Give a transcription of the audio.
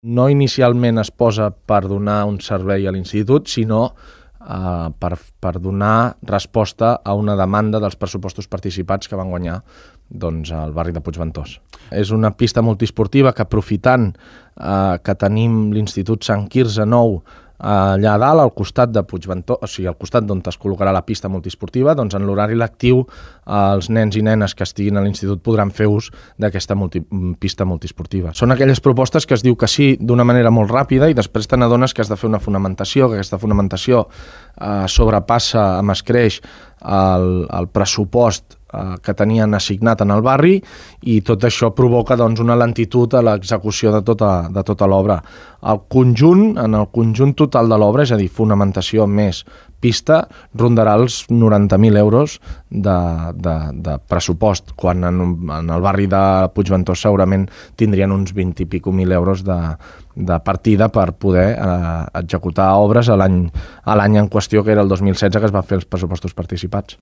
no inicialment es posa per donar un servei a l'institut, sinó per donar resposta a una demanda dels pressupostos participats que van guanyar al barri de Puigventós. És una pista multiesportiva que, aprofitant que tenim l'Institut Sant Quirze Nou allà a dalt, al costat de Puigventós, o sigui, al costat d'on es col·locarà la pista multiesportiva, doncs en l'horari lectiu els nens i nenes que estiguin a l'institut podran fer ús d'aquesta pista multiesportiva. Són aquelles propostes que es diu que sí d'una manera molt ràpida i després te n'adones que has de fer una fonamentació, que aquesta fonamentació sobrepassa amb escreix el pressupost que tenien assignat en el barri i tot això provoca una lentitud a l'execució de tota l'obra. En el conjunt total de l'obra, és a dir, fonamentació més pista, rondarà els 90.000 euros de pressupost, quan en el barri de Puigventós segurament tindrien uns 20 i pico mil euros de partida per poder executar obres a l'any en qüestió, que era el 2016, que es van fer els pressupostos participats.